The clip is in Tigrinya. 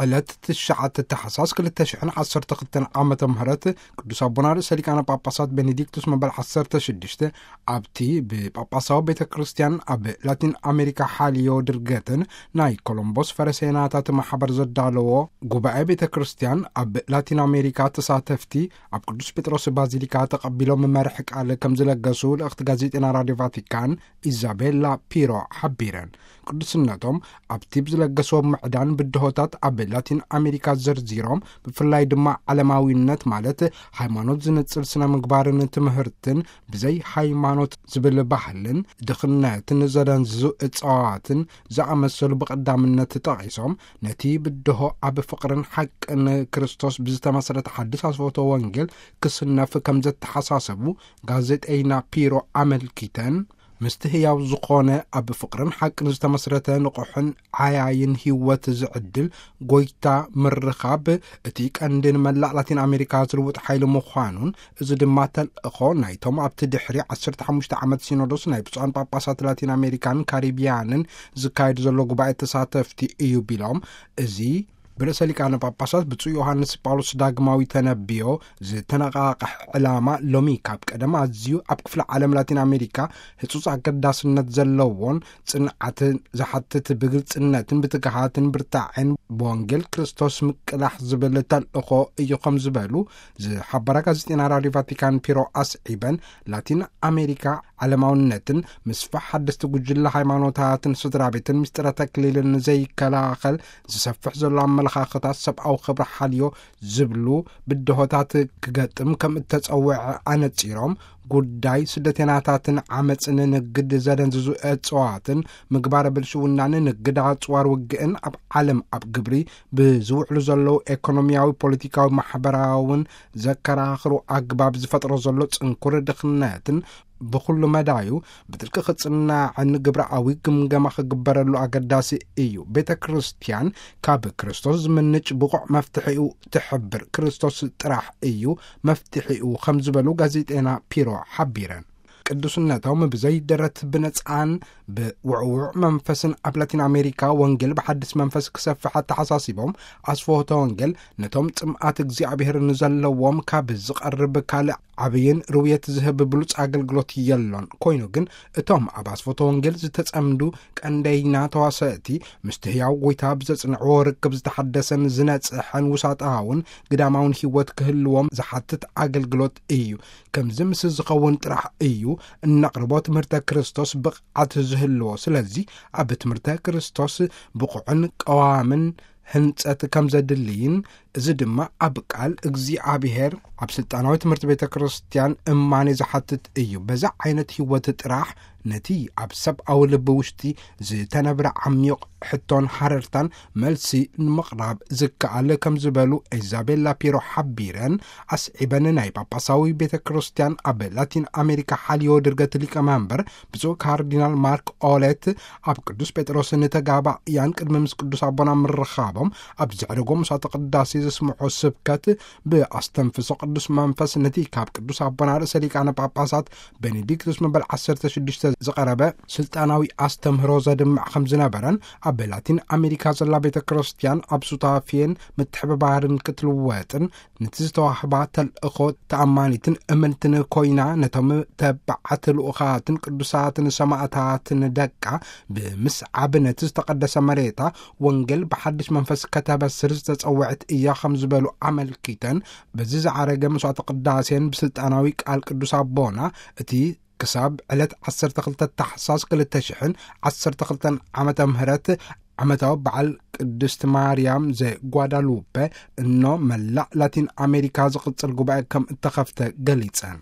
ዕለት ትሽዓተ ታሕሳስ ክልተ ሽሕን ዓሰርተ ክልተን ዓመተ ምህረት ቅዱስ ኣቦና ርእሰ ሊቃነ ጳጳሳት ቤኔዲክቱስ መበል ዓሰርተ ሽዱሽተ ኣብቲ ብጳጳሳዊ ቤተ ክርስቲያን ኣብ ላቲን ኣሜሪካ ሓልዮ ድርገትን ናይ ኮሎምቦስ ፈረሴናታት ማሕበር ዘዳለዎ ጉባኤ ቤተ ክርስቲያን ኣብ ላቲን ኣሜሪካ ተሳተፍቲ ኣብ ቅዱስ ጴጥሮስ ባዚሊካ ተቐቢሎም መርሕ ቃል ከም ዝለገሱ ልእኽቲ ጋዜጤና ራዲዮ ቫቲካን ኢዛቤላ ፒሮ ሓቢረን። ቅዱስነቶም ኣብቲ ብዝለገስዎ ምዕዳን ብድሆታት ኣብ ላቲን ኣሜሪካ ዘርዚሮም፣ ብፍላይ ድማ ዓለማዊነት ማለት ሃይማኖት ዝንጽል ስነ ምግባርን ትምህርትን ብዘይ ሃይማኖት ዝብል ባህልን ድኽነትን ዘደንዝዙ እጽዋትን ዝኣመሰሉ ብቐዳምነት ጠቒሶም፣ ነቲ ብድሆ ኣብ ፍቕርን ሓቅን ክርስቶስ ብዝተመስረተ ሓድሽ ኣስፎቶ ወንጌል ክስነፍ ከም ዘተሓሳሰቡ ጋዜጠይና ፒሮ ኣመልኪተን፣ ምስቲ ህያው ዝኾነ ኣብ ፍቕርን ሓቅን ዝተመስረተ ንቑሕን ዓያይን ህይወት ዝዕድል ጎይታ ምርኻብ እቲ ቀንዲ ንመላእ ላቲን ኣሜሪካ ዝልውጥ ሓይሊ ምዃኑን፣ እዚ ድማ ተልእኾ ናይቶም ኣብቲ ድሕሪ ዓሰርተ ሓሙሽተ ዓመት ሲኖዶስ ናይ ብፁዓን ጳጳሳት ላቲን ኣሜሪካን ካሪቢያንን ዝካየድ ዘሎ ጉባኤ ተሳተፍቲ እዩ ቢሎም፣ እዚ ብርእሰ ሊቃነ ጳጳሳት ብፁዕ ዮሃንስ ጳውሎስ ዳግማዊ ተነብዮ ዝተነቓቕሕ ዕላማ ሎሚ ካብ ቀደም ኣዝዩ ኣብ ክፍለ ዓለም ላቲን ኣሜሪካ ህጹጽ ኣገዳስነት ዘለዎን ጽንዓት ዝሓትት ብግልጽነትን ብትግሃትን ብርታዕን ብወንጌል ክርስቶስ ምቅላሕ ዝብል ተልእኾ እዩ ከም ዝበሉ ዝሓበራ ጋዜጤና ራዲዮ ቫቲካን ፒሮ ኣስዒበን፣ ላቲን ኣሜሪካ ዓለማውነትን ምስፋሕ ሓደስቲ ጉጅለ ሃይማኖታትን ስድራ ቤትን ምስጢረ ተክሊልን ዘይከላኸል ዝሰፍሕ ዘሎ ኣመለኻኽታት ሰብኣዊ ክብሪ ሓልዮ ዝብሉ ብድሆታት ክገጥም ከም እተጸውዐ ኣነጺሮም፣ ጉዳይ ስደተኛታትን ዓመጽን ንግድ ዘደንዝዙ እጽዋትን ምግባረ ብልሽውናን ንግድ ኣጽዋር ውግእን ኣብ ዓለም ኣብ ግብሪ ብዝውዕሉ ዘለዉ ኤኮኖሚያዊ፣ ፖለቲካዊ፣ ማሕበራውን ዘከራኽሩ ኣግባብ ዝፈጥሮ ዘሎ ጽንኩር ድኽነትን ብኹሉ መዳዩ ብጥልቂ ክጽናዕን ግብራዊ ግምገማ ክግበረሉ ኣገዳሲ እዩ። ቤተ ክርስቲያን ካብ ክርስቶስ ዝምንጭ ብቑዕ መፍትሒኡ ትሕብር። ክርስቶስ ጥራሕ እዩ መፍትሒኡ ከም ዝበሉ ጋዜጤና ፒሮ ሓቢረን። ቅዱስነቶም ብዘይ ደረት ብነጻን ብውዕውዕ መንፈስን ኣብ ላቲን ኣሜሪካ ወንጌል ብሓድስ መንፈስ ክሰፍሕ ኣተሓሳሲቦም፣ ኣስፍሆተ ወንጌል ነቶም ጽምኣት እግዚኣብሔር ንዘለዎም ካብ ዝቐርብ ካልእ ዓብይን ርውየት ዝህብ ብሉጽ ኣገልግሎት የሎን። ኮይኑ ግን እቶም ኣብ ኣስፍሆተ ወንጌል ዝተጸምዱ ቀንደይና ተዋሰእቲ ምስቲ ህያው ጎይታ ብዘጽንዕዎ ርክብ ዝተሓደሰን ዝነጽሐን ውሳጣውን ግዳማውን ህይወት ክህልዎም ዝሓትት ኣገልግሎት እዩ። ከምዚ ምስ ዝኸውን ጥራሕ እዩ እነቕርቦ ትምህርተ ክርስቶስ ብቕዓት ዝህልዎ። ስለዚ ኣብ ትምህርተ ክርስቶስ ብቑዕን ቀዋምን ህንጸት ከም ዘድልይን፣ እዚ ድማ ኣብ ቃል እግዚኣብሔር ኣብ ስልጣናዊ ትምህርቲ ቤተ ክርስቲያን እማኔ ዝሓትት እዩ። በዛ ዓይነት ህይወት ጥራሕ ነቲ ኣብ ሰብኣዊ ልቢ ውሽጢ ዝተነብረ ዓሚቕ ሕቶን ሃረርታን መልሲ ንምቕራብ ዝከኣል ከም ዝበሉ ኢዛቤላ ፒሮ ሓቢረን ኣስዒበን፣ ናይ ጳጳሳዊ ቤተ ክርስቲያን ኣብ ላቲን ኣሜሪካ ሓልዮ ድርገት ሊቀ መንበር ብፁዕ ካርዲናል ማርክ ኦሌት ኣብ ቅዱስ ጴጥሮስ ንተጋባእያን ቅድሚ ምስ ቅዱስ ኣቦና ምርኻቦም ኣብ ዘዕረጎ መስዋዕተ ቅዳሴ ዘስምዖ ስብከት ብኣስተንፍሶ ቅዱስ መንፈስ ነቲ ካብ ቅዱስ ኣቦና ርእሰ ሊቃነ ጳጳሳት ቤኔዲክቱስ መበል ዓሰርተ ሽዱሽተ ዝቐረበ ስልጣናዊ ኣስተምህሮ ዘድምዕ ከም ዝነበረን፣ ኣብ ላቲን ኣሜሪካ ዘላ ቤተ ክርስቲያን ኣብ ሱታፌን ምትሕብባርን ክትልወጥን፣ ነቲ ዝተዋህባ ተልእኾ ተኣማኒትን እምንትን ኮይና፣ ነቶም ተባዓት ልኡኻትን ቅዱሳትን ሰማእታትን ደቃ ብምስዓብ፣ ነቲ ዝተቐደሰ መሬታ ወንጌል ብሓድሽ መንፈስ ከተበስር ዝተጸውዐት እያ ከም ዝበሉ ኣመልኪተን፣ በዚ ዝዓረገ መስዋዕተ ቅዳሴን ብስልጣናዊ ቃል ቅዱስ ኣቦና፣ እቲ ክሳብ ዕለት ዓሰርተ ክልተ ታሕሳስ ክልተ ሽሕን ዓሰርተ ክልተን ዓመተ ምህረት ዓመታዊ በዓል ቅድስት ማርያም ዘጓዳሉፐ እኖ መላእ ላቲን ኣሜሪካ ዝቕጽል ጉባኤ ከም እተኸፍተ ገሊጸን።